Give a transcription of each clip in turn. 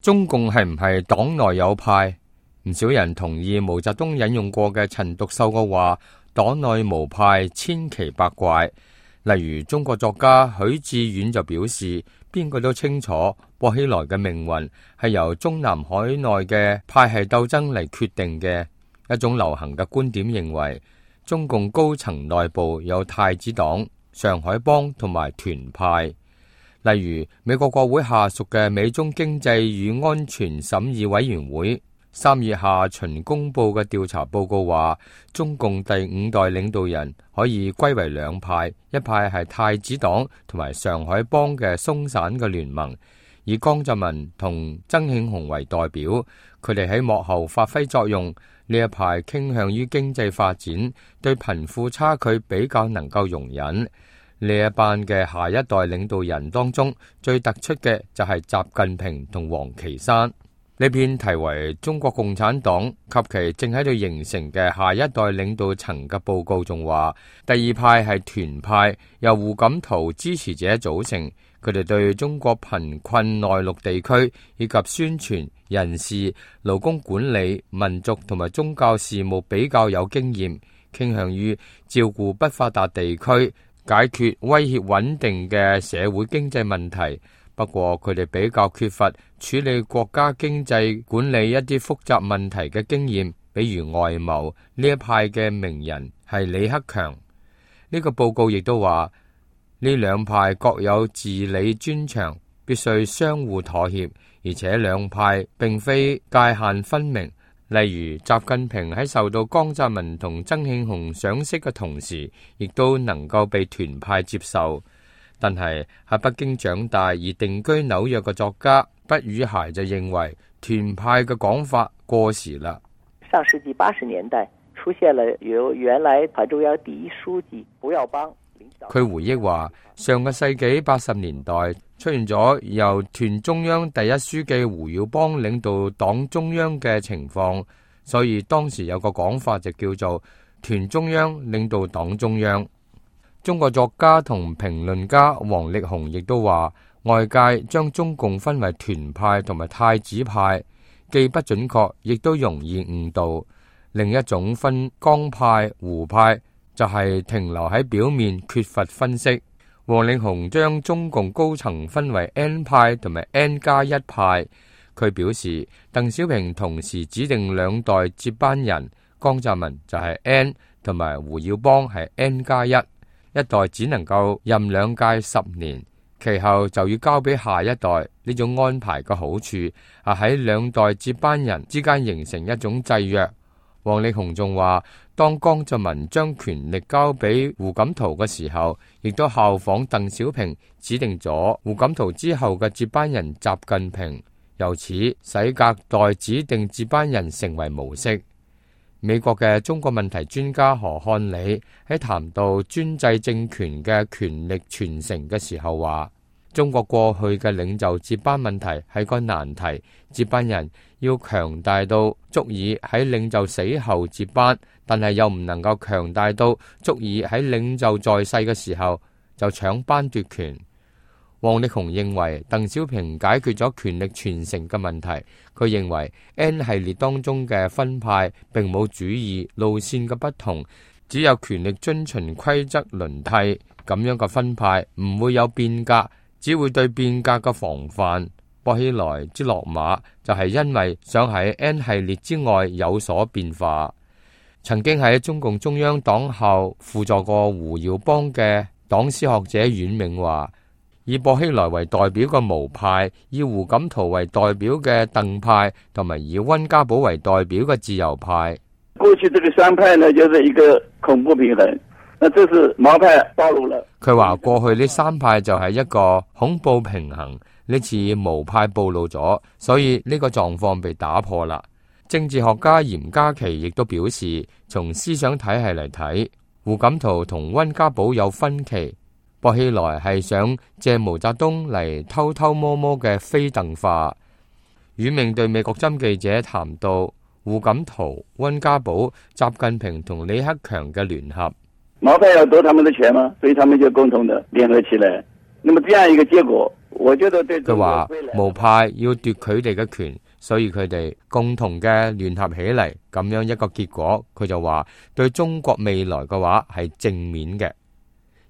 中共係唔係黨內有派？唔少人同意毛澤東引用過嘅陳獨秀嘅話：黨內無派，千奇百怪。例如中國作家許志遠就表示，邊個都清楚薄熙來嘅命運係由中南海內嘅派系鬥爭嚟決定嘅。一種流行嘅觀點認為，中共高層內部有太子黨、上海幫同埋團派。例如美國國會下屬嘅美中經濟與安全審議委員會3月下旬公布嘅調查報告話，中共第5代領導人可以歸為兩派，一派係太子黨同埋上海幫嘅鬆散嘅聯盟，以江澤民同曾慶紅為代表，佢哋喺幕後發揮作用。呢一派傾向於經濟發展，對貧富差距比較能夠容忍。呢一班嘅下一代領導人當中，最突出嘅就係習近平同王岐山。呢篇題為《中國共產黨及其正喺度形成嘅下一代領導層》嘅報告仲話，第二派係團派，由胡錦濤支持者組成，佢哋對中國貧困內陸地區以及宣傳、人事、勞工管理、民族同埋宗教事務比較有經驗，傾向於照顧不發達地區，解決威脅穩定嘅社會經濟問題。不過佢哋比較缺乏處理國家經濟管理一啲複雜問題嘅經驗，比如外貿。呢一派嘅名人係李克強。呢個報告亦都話，呢兩派各有治理專長，必須相互妥協，而且兩派並非界限分明。例如習近平喺受到江澤民同曾慶紅賞識嘅同時，亦都能夠被團派接受。但係喺北京長大而定居紐約嘅作家畢宇孩就認為，團派嘅講法過時啦。上世紀80年代出現了由原來黨中央第一書記胡耀邦。佢回憶話，上個世紀80年代出現咗由團中央第一書記胡耀邦領導黨中央嘅情況，所以當時有個講法就叫做團中央領導黨中央。中國作家同評論家王力宏亦都話，外界將中共分為團派同埋太子派，既不準確，亦都容易誤導。另一種分江派、胡派，就係停留喺表面，缺乏分析。王力宏將中共高層分為 N 派同埋 N+1 派。佢表示，鄧小平同時指定兩代接班人，江澤民就係 N， 同埋胡耀邦係 N+1。一代只能夠任兩屆10年，其後就要交俾下一代。呢種安排嘅好處喺兩代接班人之間形成一種制約。王力宏仲話，當江澤民將權力交俾胡錦濤嘅時候，亦都效仿鄧小平指定咗胡錦濤之後嘅接班人習近平，由此使隔代指定接班人成為模式。美國嘅中國問題專家何漢理喺談到專制政權嘅權力傳承嘅時候話，中國過去嘅領袖接班問題係個難題，接班人要強大到足以喺領袖死後接班，但係又唔能夠強大到足以喺領袖在世嘅時候就搶班奪權。王力宏認為鄧小平解決咗權力傳承嘅問題，佢認為 N 系列當中嘅分派並冇主義路線嘅不同，只有權力遵循規則輪替，咁樣嘅分派唔會有變革，只會對變革嘅防範。薄熙來之落馬就係因為想喺 N 系列之外有所變化。曾經喺中共中央黨校輔助過胡耀邦嘅黨史學者阮銘話，以薄熙來為代表嘅毛派，以胡錦濤為代表嘅鄧派，同埋以溫家寶為代表嘅自由派。過去這個三派呢，就是一個恐怖平衡。那這是毛派暴露了。佢話過去呢三派就係一個恐怖平衡，呢次毛派暴露咗，所以呢個狀況被打破啦。政治學家嚴家祺亦都表示，從思想體系嚟睇，胡錦濤同溫家寶有分歧。薄熙來係想借毛澤東嚟偷偷摸摸嘅非鄧化。阮銘對美國針記者談到胡錦濤、溫家寶、習近平同李克強嘅聯合。毛派要奪他們的權嗎？所以他們就共同的聯合起來。那麼這樣一個結果，我覺得對佢話毛派要奪佢哋嘅權，所以佢哋共同嘅聯合起嚟，咁樣一個結果，佢就話對中國未來嘅話係正面嘅。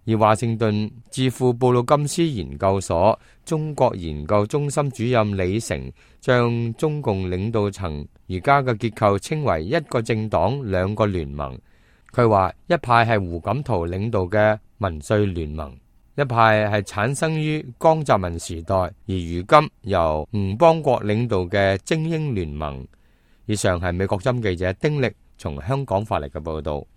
而華盛頓智庫布魯金斯研究所中國研究中心主任李成將中共領導層而家嘅結構稱為一個政黨兩個聯盟。佢話一派係胡錦濤領導嘅民粹聯盟，一派係產生於江澤民時代，而如今由吳邦國領導嘅精英聯盟。以上係美國針記者丁力從香港發嚟嘅報道。